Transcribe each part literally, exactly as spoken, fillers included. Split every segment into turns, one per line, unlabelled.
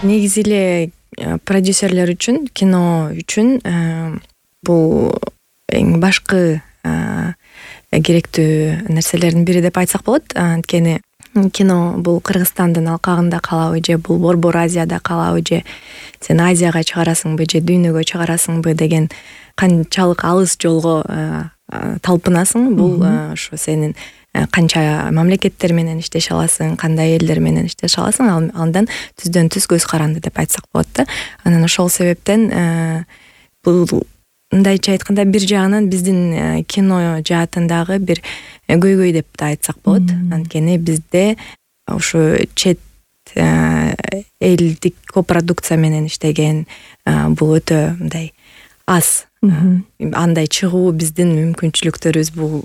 негизи эле продюсерлер үчүн, кино үчүн бул эң башкы керектүү нерселердин бири деп айтсак болот. Анткени кино бул Кыргызстандын алкагында калабы же бул Борбор Азияда калабы же сен Азияга чыгарасыңбы же дүйнөгө чыгарасыңбы деген канчалык алыс жолго талпынасың. Бул ошо сенин канча мамлекеттер менен иштеше аласың, кандай элдер менен иштеше аласың, андан түздөн түз көз каранды деп айтсак болот да. Анан ошол себептен бул мындайча айтканда бир жагынан биздин кино жаатындагы бир көйгөй деп да айтсак болот. Анткени бизде ошо чет элдик копродукция менен иштеген бул өтө мындай аз. Андай чыгуу биздин мүмкүнчүлүктөрүбүз бул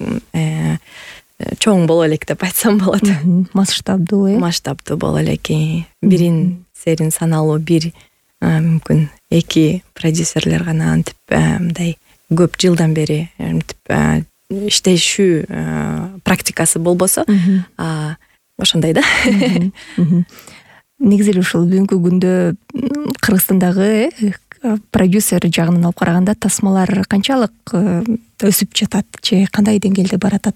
чоң боло элек деп айтсам болот.
Масштабдуу э?
Масштабдуу боло элек. Бирин серин саналуу бир мүмкүн эки продюсерлер гана антип мындай көп жылдан бери иштешүү практикасы болбосо, ошондой да.
Негизи эле ушул бүгүнкү күндө Кыргызстандагы продюсер жагынан алып караганда тасмалар канчалык өсүп жатат же кандай деңгээлде баратат?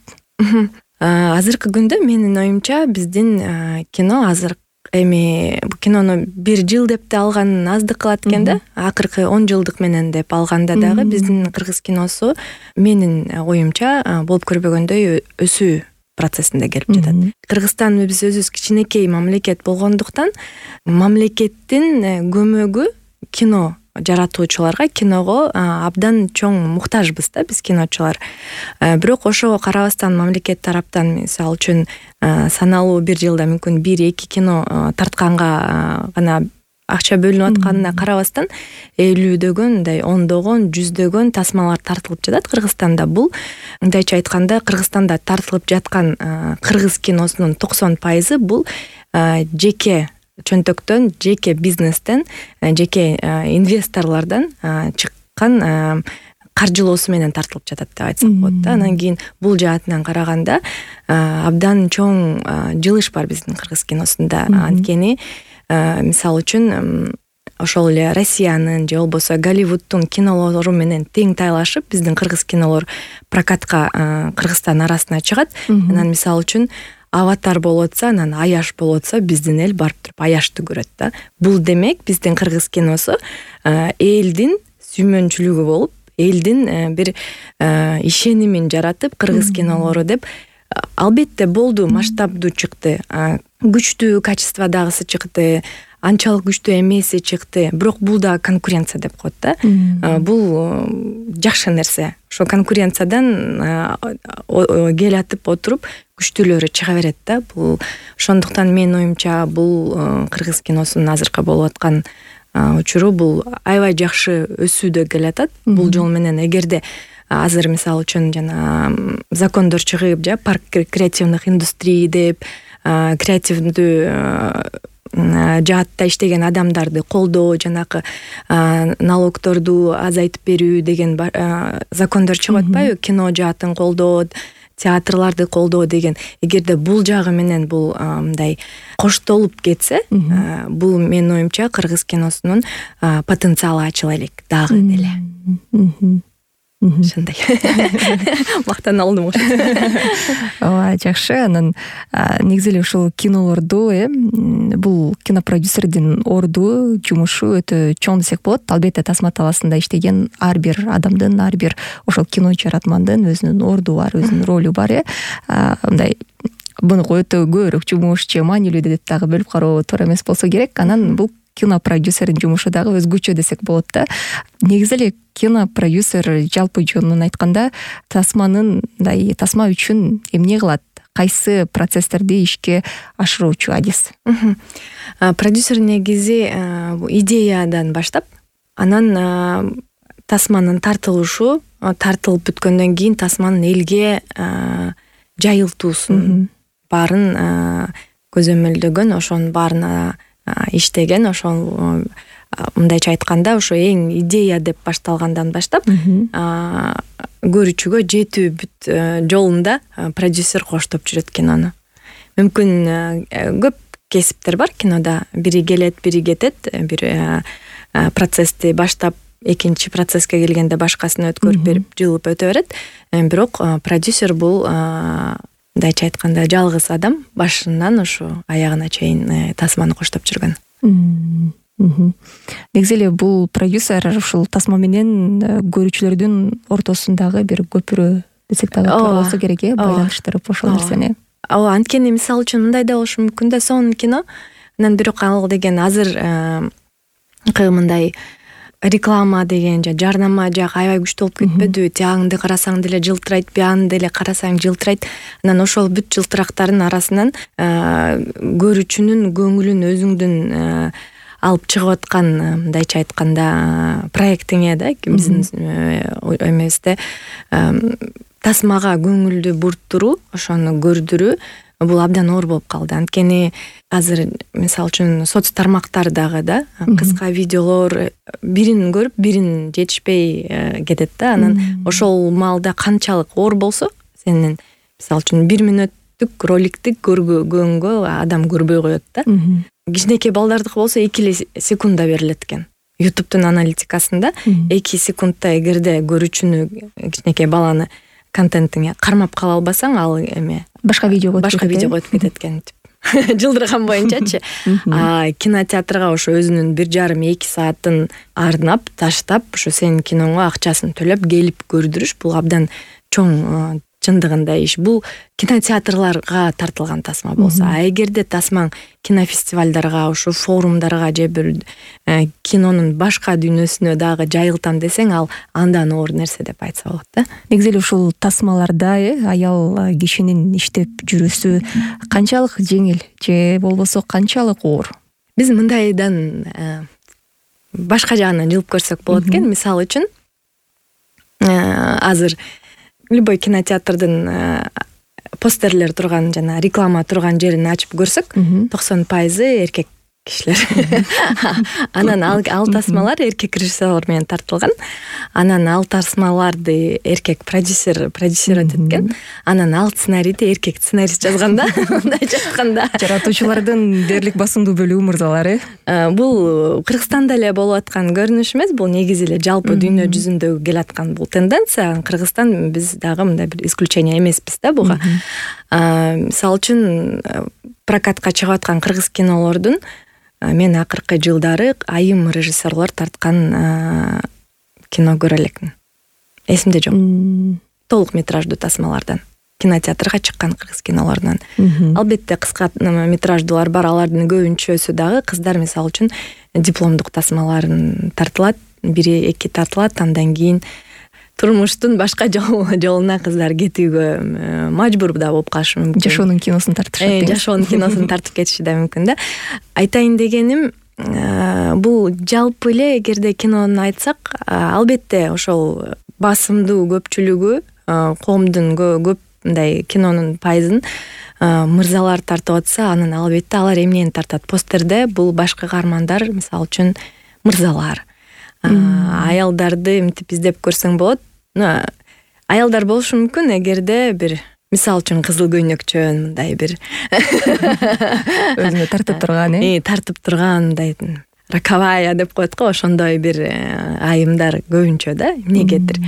Азыркы күндө менин оюмча биздин кино азыр эми бул кинону бир жыл деп да алган аздык кылат экен да. Акыркы он жылдык менен деп алганда дагы биздин кыргыз киносу менин оюмча болуп көрбөгөндөй өсүү процессинде келип жатат. Кыргызстан биз өзүбүз кичинекей мамлекет болгондуктан мамлекеттин көмөгү кино жаратуучуларга, киного абдан чоң муктажбыз да биз киночулар. Бирок ошого карабастан мамлекет тараптан мисалы үчүн саналуу бир жылда мүмкүн бир эки кино тартканга гана акча бөлүнүп атканына карабастан элүүдөгөн, мындай ондогон, жүздөгөн тасмалар тартылып жатат Кыргызстанда. Бул мындайча айтканда Кыргызстанда тартылып жаткан кыргыз киносунун токсон пайызы бул жеке чөнтөктөн, жеке бизнестен, жеке инвесторлордон чыккан каржылоосу менен тартылып жатат деп айтсак болот да. Анан кийин бул жаатынан караганда абдан чоң жылыш бар биздин кыргыз киносунда. Анткени мисалы үчүн ошол эле Россиянын же болбосо Голливудтун кинолору менен тең тайлашып биздин кыргыз кинолор прокатка Кыргызстан арасына чыгат. Анан мисалы үчүн Аватар болуп атса, анан Аяш болуп атса, биздин эл барып туруп Аяшты көрөт да. Бул демек биздин кыргыз киносу элдин сүймөнчүлүгү болуп, элдин бир ишенимин жаратып, кыргыз кинолору деп. Албетте болду, масштабдуу чыкты, күчтүү качестводагысы чыкты, анчалык күчтүү эмеси чыкты. Бирок бул да конкуренция деп коет да. Бул жакшы нерсе. Ошо конкуренциядан келатып отуруп күчтүүлөрү чыга берет да. Бул ошондуктан менин оюмча бул кыргыз киносунун азыркы болуп аткан учуру бул аябай жакшы өсүүдө келатат. Бул жол менен эгерде азыр мисалы үчүн жана закондор чыгып, жа парк креативных индустрий деп креативдүү жаатта иштеген адамдарды колдоо, жанакы налогторду азайтып берүү деген закондор чыгып атпайбы? Кино жаатын колдоо, театрларды колдоо деген. Эгерде бул жагы менен бул мындай коштолуп кетсе, бул менин оюмча кыргыз киносунун потенциалы ачыла элек дагы эле. Ошондой. Мактан алдым ошо.
Ооба, жакшы. Анан негизи эле ушул кинолорду, э, бул кинопродюсердин орду, жумушу өтө чоң десек болот. Албетте тасма талаасында иштеген ар бир адамдын, ар бир ошол кино жаратмандын өзүнүн орду бар, өзүнүн ролу бар, э. Мындай буну өтө көбүрөөк жумуш же маанилүү деп дагы бөлүп кароо туура эмес болсо керек. Анан бул кинопродюсердин жумушу дагы өзгөчө десек болот да. Негизи эле кинопродюсер жалпы жөнүнөн айтканда тасманын, мындай тасма үчүн эмне кылат? Кайсы процесстерди ишке ашыруучу адис?
Продюсер негизи идеядан баштап, анан тасманын тартылышы, тартылып бүткөндөн кийин тасманын элге жайылтуусун баарын көзөмөлдөгөн, ошонун баарына иштеген, ошол мындайча айтканда ошо эң идея деп башталгандан баштап көрүүчүгө жетүү бүт жолунда продюсер коштоп жүрөт кинону. Мүмкүн көп кесиптер бар кинода. Бири келет, бири кетет. Бир процессти баштап экинчи процесске келгенде башкасын өткөрүп берип жылып өтө берет. Бирок продюсер бул мындайча айтканда жалгыз адам, башынан ушу аягына чейин тасманы коштоп жүргөн.
Негизи эле бул продюсер ушул тасма менен көрүүчүлөрдүн ортосундагы бир көпүрө десек дагы туура болсо керек, э, байланыштырып ошол нерсени.
Ооба, анткени мисалы үчүн мындай да болушу мүмкүн да, сонун кино. Анан бирок ал деген азыр мындай реклама деген же жарнама жагы аябай күчтүү болуп кетпедиби? Тиягыңды карасаң деле жылтырайт, биягыңды деле карасаң жылтырайт. Анан ошол бүт жылтырактардын арасынан көрүүчүнүн көңүлүн өзүңдүн алып чыгып аткан, мындайча айтканда, проектиңе да, биздин эмебизде тасмага көңүлдү бурттуруу, ошону көрдүрүү бул абдан оор болуп калды. Анткени азыр мисалы үчүн соц тармактардагы да кыска видеолор бирин көрүп бирин жетишпей кетет да. Анан ошол маалда канчалык оор болсо, сенин мисалы үчүн бир мүнөттүк роликти көргөнгө адам көрбөй коет да. Кичинекей балдардыкы болсо эки эле секундда берилет экен. ютубтун аналитикасында эки секундда эгерде көрүүчүнү, кичинекей баланы контентиңе кармап кала албасаң, ал эме
башка видеого өтүп
башка видеого өтүп кетет экен. Жылдырган боюнчачы. А кинотеатрга ошо өзүнүн бир жарым эки саатын арнап, таштап, ошо сенин киноңо акчасын төлөп келип көрдүрүш бул абдан чоң чындыгында иш. Бул кинотеатрларга тартылган тасма болсо, а эгерде тасмаң кинофестивалдарга, ошо форумдарга же бир кинонун башка дүйнөсүнө дагы жайылтам десең, ал андан оор нерсе деп айтса болот да.
Негизи эле ушул тасмаларда э аял кишинин иштеп жүрүүсү канчалык жеңил же болбосо канчалык оор?
Биз мындайдан башка жагынан жылып көрсөк болот экен. Мисалы үчүн азыр любой кинотеатрдын постерлер турган жана реклама турган жерин ачып көрсөк, токсон пайызы эркек кишилер. Анан ал, ал тасмалар эркек режиссерлор менен тартылган. Анан ал тасмаларды эркек продюсер продюсировать эткен. Анан ал сценарийди эркек сценарист жазган да. Мындайча айтканда,
жаратуучулардын дээрлик басымдуу бөлүгү мырзалар, э.
Бул Кыргызстанда эле болуп аткан көрүнүш эмес, бул негизи эле жалпы дүйнө жүзүндө келаткан бул тенденция. Кыргызстан биз дагы мындай бир исключение эмеспиз да буга. Мисалы үчүн прокатка чыгып аткан кыргыз кинолордун мен акыркы жылдары айым режиссерлор тарткан кино көрө элекмин. Эсимде жок. Толук метраждуу тасмалардан, кинотеатрга чыккан кыргыз кинолорунан. Албетте кыска метраждуулар бар, алардын көбүнчөсү дагы кыздар, мисалы үчүн дипломдук тасмаларын тартылат, бири эки тартылат, андан кийин турмуштун башка жолуна кыздар кетүүгө мажбур да болуп калышы мүмкүн.
Жашоонун киносун тартышат.
Э, жашоонун киносун тартып кетиши да мүмкүн да. Айтайын дегеним, бул жалпы эле эгерде кинону айтсак, албетте ошол басымдуу көпчүлүгү, коомдун көп мындай кинонун пайызын мырзалар тартып атса, анан албетте алар эмнени тартат? Постерде бул башкы каармандар, мисалы үчүн мырзалар. Аялдарды мынтип издеп көрсөң болот. Аялдар болушу мүмкүн, эгерде бир мисалы үчүн кызыл көйнөкчөн мындай бир
өзүнө тартып турган,
э, тартып турган мындай раковая деп коет го, ошондой бир айымдар көбүнчө да, эмнегедир.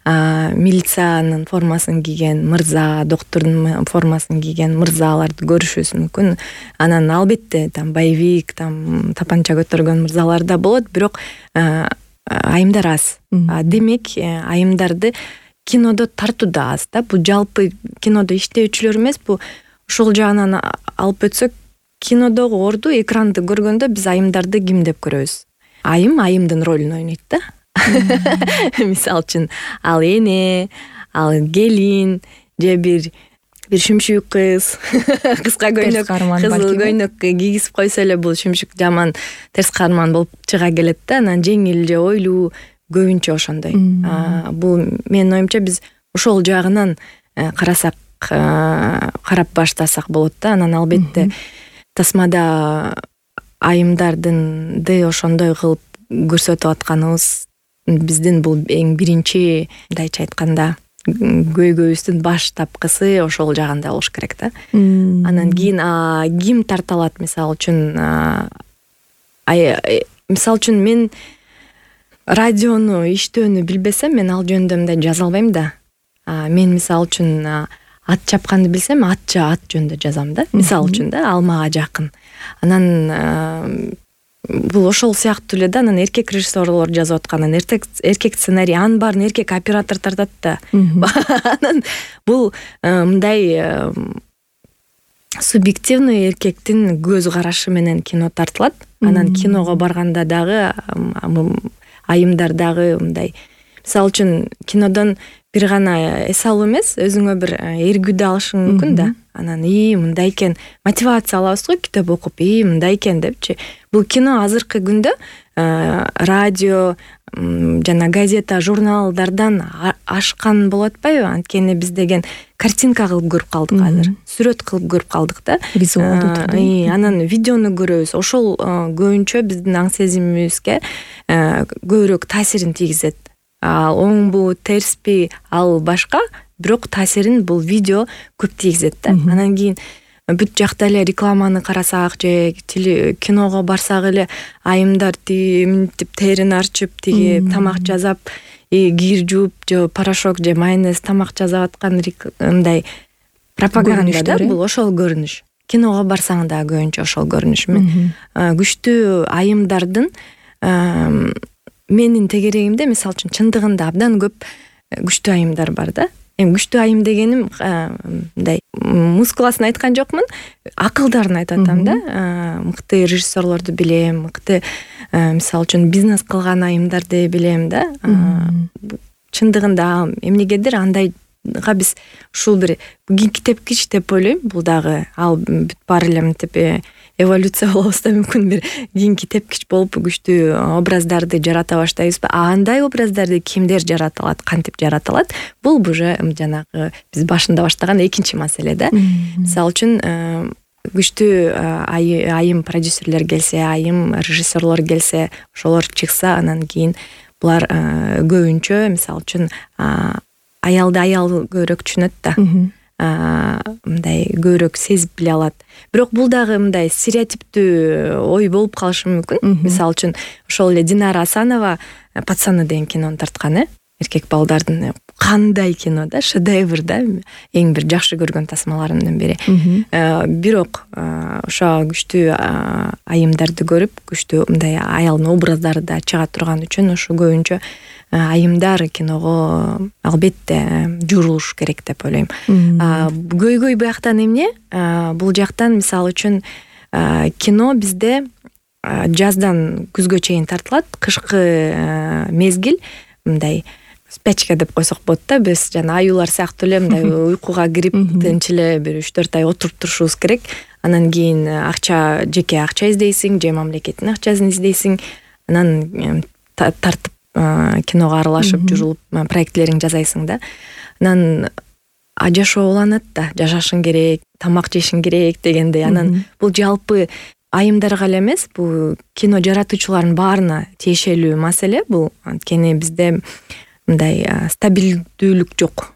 Милициянын формасын кийген мырза, доктурдун формасын кийген мырзаларды көрүшүбүз мүмкүн. Анан албетте там боевик, там тапанча көтөргөн мырзалар да болот, бирок айымдар аз. Демек, айымдарды кинодо тартуу да аз да. Бул жалпы кинодо иштөөчүлөр эмес, бул ошол жагынан алып өтсөк, кинодогу орду, экранды көргөндө биз айымдарды ким деп көрөбүз? Айым айымдын ролун ойнойт да. Мисалы үчүн ал эне, ал келин, же бир бир шүмшүк кыз, кыска көйнөк, кызыл көйнөк кийгизип койсо эле бул шүмшүк жаман терс каарман болуп чыга келет да. Анан жеңил же ойлуу көбүнчө ошондой. Бул менин оюмча биз ошол жагынан карасак, карап баштасак болот да. Анан албетте тасмада айымдардынды ошондой кылып көрсөтүп атканыбыз биздин бул эң биринчи, мындайча айтканда, көйгөйүбүздүн баш тапкысы ошол жагында болуш керек да. Анан кийин ким тарта алат, мисалы үчүн мисалы үчүн мен радиону иштөөнү билбесем, мен ал жөнүндө мындай жаза албайм да. Мен мисалы үчүн ат чапканды билсем, ат ат жөнүндө жазам да. Мисалы үчүн да, ал мага жакын. Анан бул ошол сыяктуу эле да. Анан эркек режиссерлор жазып аткан, эркек эркек сценарий, анын баарын эркек оператор тартат да. Анан бул мындай субъективный эркектин көз карашы менен кино тартылат. Анан киного барганда дагы айымдар дагы мындай, мисалы үчүн кинодон бир гана эс алуу эмес, өзүңө бир эргүүдө алышың мүмкүн да. Анан и мындай экен, мотивация алабыз го китеп окуп, и мындай экен депчи. Бул кино азыркы күндө радио жана газета, журналдардан ашкан болуп атпайбы? Анткени биз деген картинка кылып көрүп калдык азыр, сүрөт кылып көрүп калдык да.
Визуалдуу түрдө.
Анан видеону көрөбүз. Ошол көбүнчө биздин аң сезимибизге көбүрөөк таасирин тийгизет. Ал оңбу, терспи, ал башка, бирок таасирин бул видео көп тийгизет да. Анан кийин бүт жакта эле рекламаны карасак же киного барсак эле айымдар мынтип терин арчып, тиги тамак жасап, кир жууп же порошок же майонез тамак жасап аткан мындай пропаганда да. Бул ошол көрүнүш. Киного барсаң да көбүнчө ошол көрүнүш. Мен күчтүү айымдардын менин тегерегимде, мисалы үчүн, чындыгында абдан көп күчтүү айымдар бар да. Эми күчтүү айым дегеним мындай мускуласын айткан жокмун, акылдарын айтып атам да. Мыкты режиссерлорду билем, мыкты мисалы үчүн бизнес кылган айымдарды билем да. Чындыгында эмнегедир андайга биз ушул бир кийинки тепкич деп ойлойм. Бул дагы ал бүт баары эле мынтип эволюция болобуз да, мүмкүн бир кийинки тепкич болуп күчтүү образдарды жарата баштайбызбы? Андай образдарды кимдер жарата алат, кантип жарата алат? Бул уже жанагы биз башында баштаган экинчи маселе да. Мисалы үчүн күчтүү айым продюсерлер келсе, айым режиссерлор келсе, ошолор чыкса, анан кийин булар көбүнчө мисалы үчүн аялды аял көбүрөөк түшүнөт да. Мындай көбүрөөк сезип биле алат. Бирок бул дагы мындай стереотиптүү ой болуп калышы мүмкүн. Мисалы үчүн ошол эле Динара Асанова Пацаны деген кинону тарткан, э эркек балдардын кандай кино да, шедевр да, эң бир жакшы көргөн тасмаларымдын бири. Бирок ошо күчтүү айымдарды көрүп, күчтүү мындай аялдын образдары да чыга турган үчүн ошо көбүнчө айымдар киного албетте журулуш керек деп ойлойм. Көйгөй бияктан эмне? Бул жактан мисалы үчүн кино бизде жаздан күзгө чейин тартылат, кышкы мезгил мындай спячка деп койсок болот да. Биз жана аюулар сыяктуу эле мындай уйкуга кирип тынч эле бир үч төрт ай отуруп турушубуз керек. Анан кийин акча, жеке акча издейсиң же мамлекеттин акчасын издейсиң. Анан тартып киного аралашып жүрүлүп проектлериң жасайсың да. Анан жашоо уланат да, жашашың керек, тамак жешиң керек дегендей. Анан бул жалпы айымдарга эле эмес, бул кино жаратуучулардын баарына тиешелүү маселе бул. Анткени бизде мындай стабилдүүлүк жок.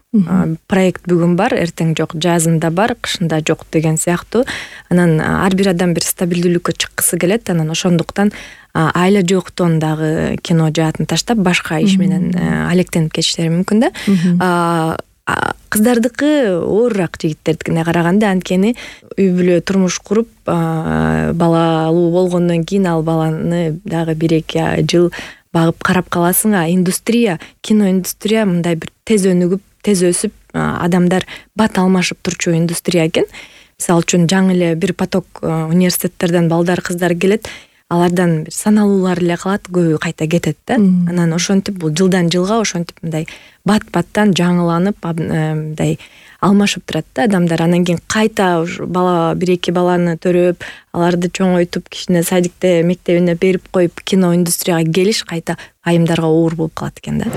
Проект бүгүн бар, эртең жок, жазында бар, кышында жок деген сыяктуу. Анан ар бир адам бир стабилдүүлүккө чыккысы келет. Анан ошондуктан айла жоктон дагы кино жаатын таштап башка иш менен алектенип кетиштери мүмкүн да. Кыздардыкы оорураак жигиттердикине караганда, анткени үй бүлө турмуш куруп балалуу болгондон кийин ал баланы дагы бир эки жыл багып карап каласың. А индустрия, кино индустрия мындай бир тез өнүгүп, тез өсүп, адамдар бат алмашып турчу индустрия экен. Мисалы үчүн жаңы эле бир поток университеттерден балдар, кыздар келет, алардан бир саналуулар эле калат, көбү кайта кетет да. Анан ошентип бул жылдан жылга ошентип мындай бат-баттан жаңыланып, мындай алмашып турат да адамдар. Анан кийин кайта бала, бир эки баланы төрөп, аларды чоңойтуп, кичине садикте, мектебине берип коюп, кино индустрияга келиш кайта айымдарга оор болуп калат экен да.